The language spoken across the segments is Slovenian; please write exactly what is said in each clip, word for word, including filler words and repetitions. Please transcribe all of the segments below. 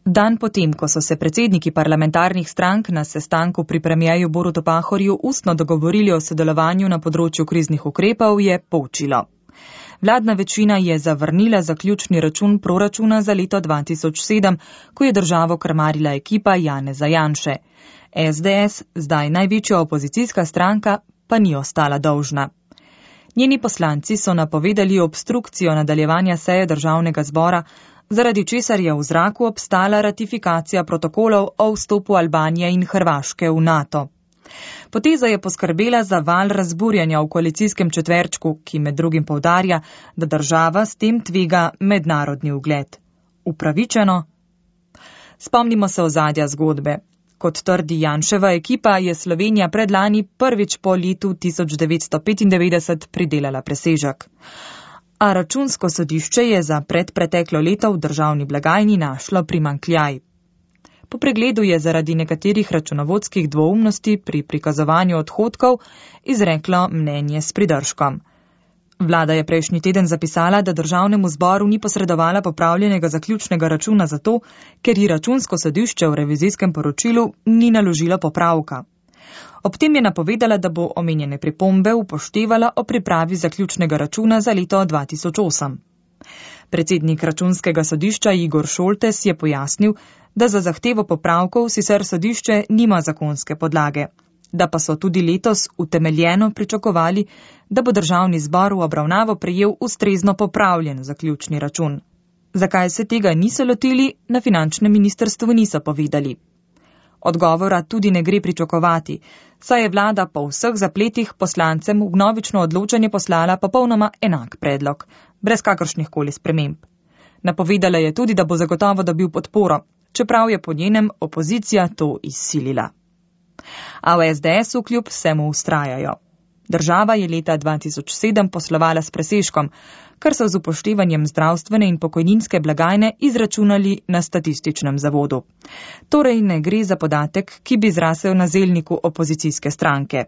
Dan potem, ko so se predsedniki parlamentarnih strank na sestanku pri premierju Borutu Pahorju ustno dogovorili o sodelovanju na področju kriznih ukrepov, je poučilo. Vladna večina je zavrnila zaključni račun proračuna za leto dva tisoč sedem, ko je državo krmarila ekipa Janeza Janše. S D S, zdaj največja opozicijska stranka, pa ni ostala dolžna. Njeni poslanci so napovedali obstrukcijo nadaljevanja seje državnega zbora, zaradi česar je v zraku obstala ratifikacija protokolov o vstopu Albanije in Hrvaške v NATO. Poteza je poskrbela za val razburjanja v koalicijskem četverčku, ki med drugim poudarja, da država s tem tvega mednarodni ugled. Upravičeno? Spomnimo se ozadja zgodbe. Kot trdi Janševa ekipa, je Slovenija predlani prvič po letu tisoč devetsto petindevetdeset pridelala presežek. A računsko sodišče je za predpreteklo leto v državni blagajni našlo primanjkljaj. Po pregledu je zaradi nekaterih računovodskih dvoumnosti pri prikazovanju odhodkov izreklo mnenje s pridržkom. Vlada je prejšnji teden zapisala, da državnemu zboru ni posredovala popravljenega zaključnega računa zato, ker ji računsko sodišče v revizijskem poročilu ni naložilo popravka. Ob tem je napovedala, da bo omenjene pripombe upoštevala o pripravi zaključnega računa za leto dva tisoč osem. Predsednik računskega sodišča Igor Šoltes je pojasnil, da za zahtevo popravkov sicer sodišče nima zakonske podlage, da pa so tudi letos utemeljeno pričakovali, da bo državni zbor v obravnavo prejel ustrezno popravljen zaključni račun. Zakaj se tega niso lotili, na finančnem ministrstvu niso povedali. Odgovora tudi ne gre pričakovati, saj je vlada po vseh zapletih poslancem v vnovično odločanje poslala popolnoma enak predlog, brez kakršnih koli sprememb. Napovedala je tudi, da bo zagotovo dobil podporo, čeprav je po njenem opozicija to izsilila. A v S D S-u kljub vsemu vztrajajo. Država je leta dva tisoč sedem poslovala s presežkom, kar so z upoštevanjem zdravstvene in pokojninske blagajne izračunali na statističnem zavodu. Torej ne gre za podatek, ki bi zrasel na zelniku opozicijske stranke.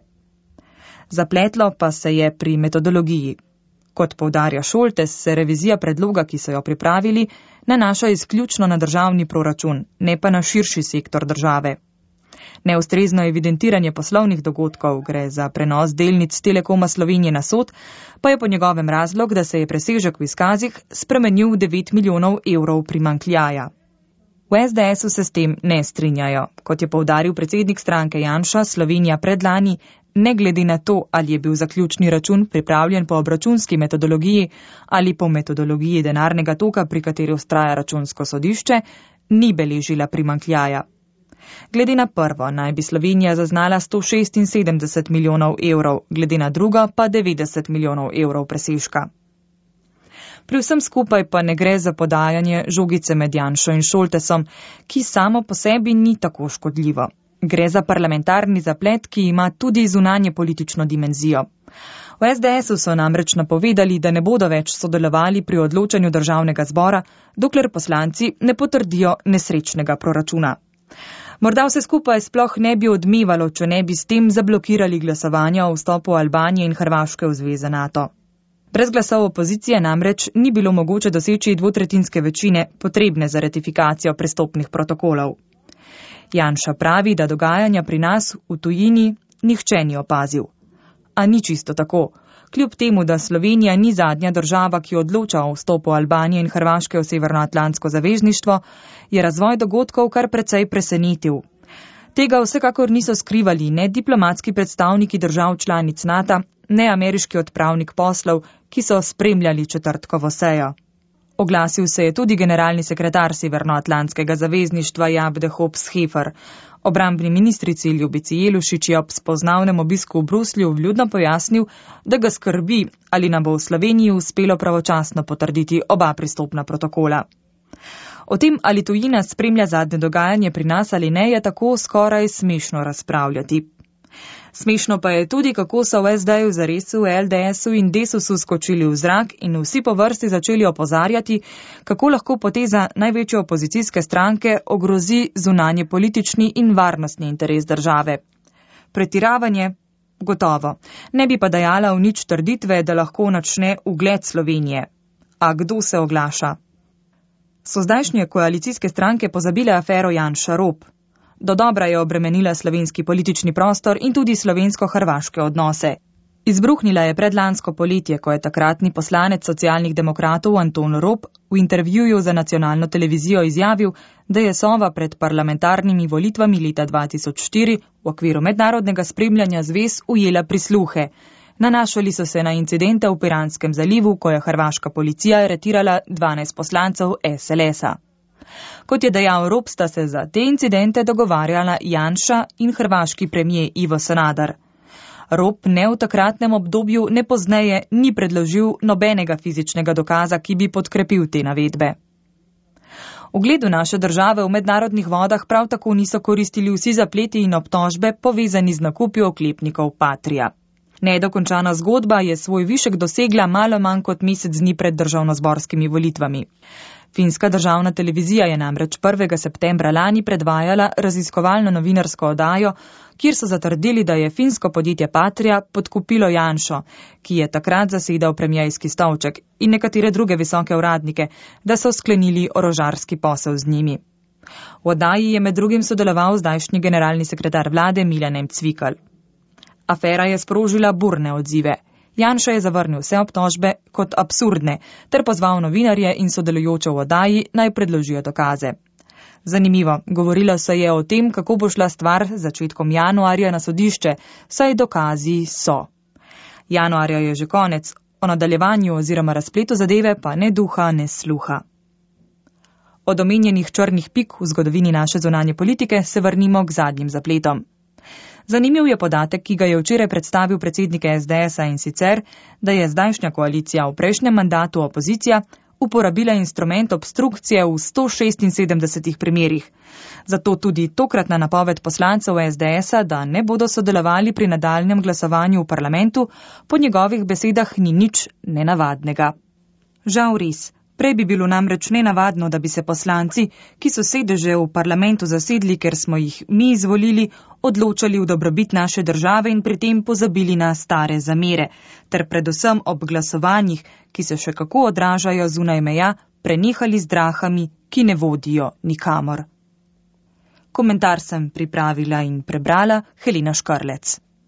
Zapletlo pa se je pri metodologiji. Kot poudarja Šoltes, se revizija predloga, ki so jo pripravili, nanaša izključno na državni proračun, ne pa na širši sektor države. Neustrezno evidentiranje poslovnih dogodkov, gre za prenos delnic Telekoma Slovenije na Sod, pa je po njegovem razlog, da se je presežek v izkazih spremenil v devet milijonov evrov primanjkljaja. V S D S-u se s tem ne strinjajo. Kot je poudaril predsednik stranke Janša, Slovenija predlani, ne glede na to, ali je bil zaključni račun pripravljen po obračunski metodologiji ali po metodologiji denarnega toka, pri kateri vztraja računsko sodišče, ni beležila primanjkljaja. Glede na prvo naj bi Slovenija zaznala sto šestinsedemdeset milijonov evrov, glede na drugo pa devetdeset milijonov evrov presežka. Pri vsem skupaj pa ne gre za podajanje žogice med Janšo in Šoltesom, ki samo po sebi ni tako škodljivo. Gre za parlamentarni zaplet, ki ima tudi zunanje politično dimenzijo. V S D S-u so namreč napovedali, da ne bodo več sodelovali pri odločanju državnega zbora, dokler poslanci ne potrdijo nesrečnega proračuna. Morda vse skupaj sploh ne bi odmevalo, če ne bi s tem zablokirali glasovanja o vstopu Albanije in Hrvaške v zveze NATO. Brez glasov opozicije namreč ni bilo mogoče doseči dvotretjinske večine, potrebne za ratifikacijo prestopnih protokolov. Janša pravi, da dogajanja pri nas v tujini nihče ni opazil. A ni čisto tako. Kljub temu, da Slovenija ni zadnja država, ki odloča o vstopu Albanije in Hrvaške v Severnoatlantsko zavezništvo, je razvoj dogodkov kar precej presenetil. Tega vsekakor niso skrivali ne diplomatski predstavniki držav članic NATO, ne ameriški odpravnik poslov, ki so spremljali četrtkovo sejo. Oglasil se je tudi generalni sekretar Severnoatlantskega zavezništva Jabde Hobbs Hefer. Obrambni ministrici Ljubici Jelušič je ob spoznavnem obisku v Bruslju vljudno pojasnil, da ga skrbi, ali nam bo v Sloveniji uspelo pravočasno potrditi oba pristopna protokola. O tem, ali tujina spremlja zadnje dogajanje pri nas ali ne, je tako skoraj smešno razpravljati. Smešno pa je tudi, kako so v S D-ju zares v L D S-u in Desusu skočili v zrak in vsi po vrsti začeli opozarjati, kako lahko poteza največje opozicijske stranke ogrozi zunanje politični in varnostni interes države. Pretiravanje? Gotovo. Ne bi pa dajala v nič trditve, da lahko načne ugled Slovenije. A kdo se oglaša? So zdajšnje koalicijske stranke pozabile afero Janša Rop. Dodobra je obremenila slovenski politični prostor in tudi slovensko-hrvaške odnose. Izbruhnila je predlansko poletje, ko je takratni poslanec socialnih demokratov Anton Rop v intervjuju za nacionalno televizijo izjavil, da je Sova pred parlamentarnimi volitvami leta dva tisoč štiri v okviru mednarodnega spremljanja zvez ujela prisluhe. Nanašali so se na incidente v Piranskem zalivu, ko je hrvaška policija aretirala dvanajst poslancev es el es-a. Kot je dejal Rop, sta se za te incidente dogovarjala Janša in hrvaški premijer Ivo Sanader. Rop ne v takratnem obdobju ne pozneje ni predložil nobenega fizičnega dokaza, ki bi podkrepil te navedbe. Ugledu naše države v mednarodnih vodah prav tako niso koristili vsi zapleti in obtožbe povezani z nakupi oklepnikov Patria. Nedokončana zgodba je svoj višek dosegla malo manj kot mesec dni pred državnozborskimi volitvami. Finska državna televizija je namreč prvega septembra lani predvajala raziskovalno novinarsko oddajo, kjer so zatrdili, da je finsko podjetje Patria podkupilo Janšo, ki je takrat zasedal premierski stolček, in nekatere druge visoke uradnike, da so sklenili orožarski posel z njimi. V oddaji je med drugim sodeloval zdajšnji generalni sekretar vlade Milan Cvikl. Afera je sprožila burne odzive. Janša je zavrnil vse obtožbe kot absurdne, ter pozval novinarje in sodelujoče v oddaji naj predložijo dokaze. Zanimivo, govorilo se je o tem, kako bo šla stvar z začetkom januarja na sodišče, saj dokazi so. Januarja je že konec, o nadaljevanju oziroma razpletu zadeve pa ne duha, ne sluha. Od omenjenih črnih pik v zgodovini naše zunanje politike se vrnimo k zadnjim zapletom. Zanimiv je podatek, ki ga je včeraj predstavil predsednik es de es-a, in sicer, da je zdajšnja koalicija v prejšnjem mandatu opozicija uporabila instrument obstrukcije v sto šestinsedemdesetih primerih. Zato tudi tokratna napoved poslancev es de es-a, da ne bodo sodelovali pri nadaljnjem glasovanju v parlamentu, po njegovih besedah ni nič nenavadnega. Žal res. Prej bi bilo namreč nenavadno, da bi se poslanci, ki so sedeže v parlamentu zasedli, ker smo jih mi izvolili, odločali v dobrobit naše države in pri tem pozabili na stare zamere, ter predvsem ob glasovanjih, ki se še kako odražajo zunaj meja, prenehali z drahami, ki ne vodijo nikamor. Komentar sem pripravila in prebrala Helena Škrlec.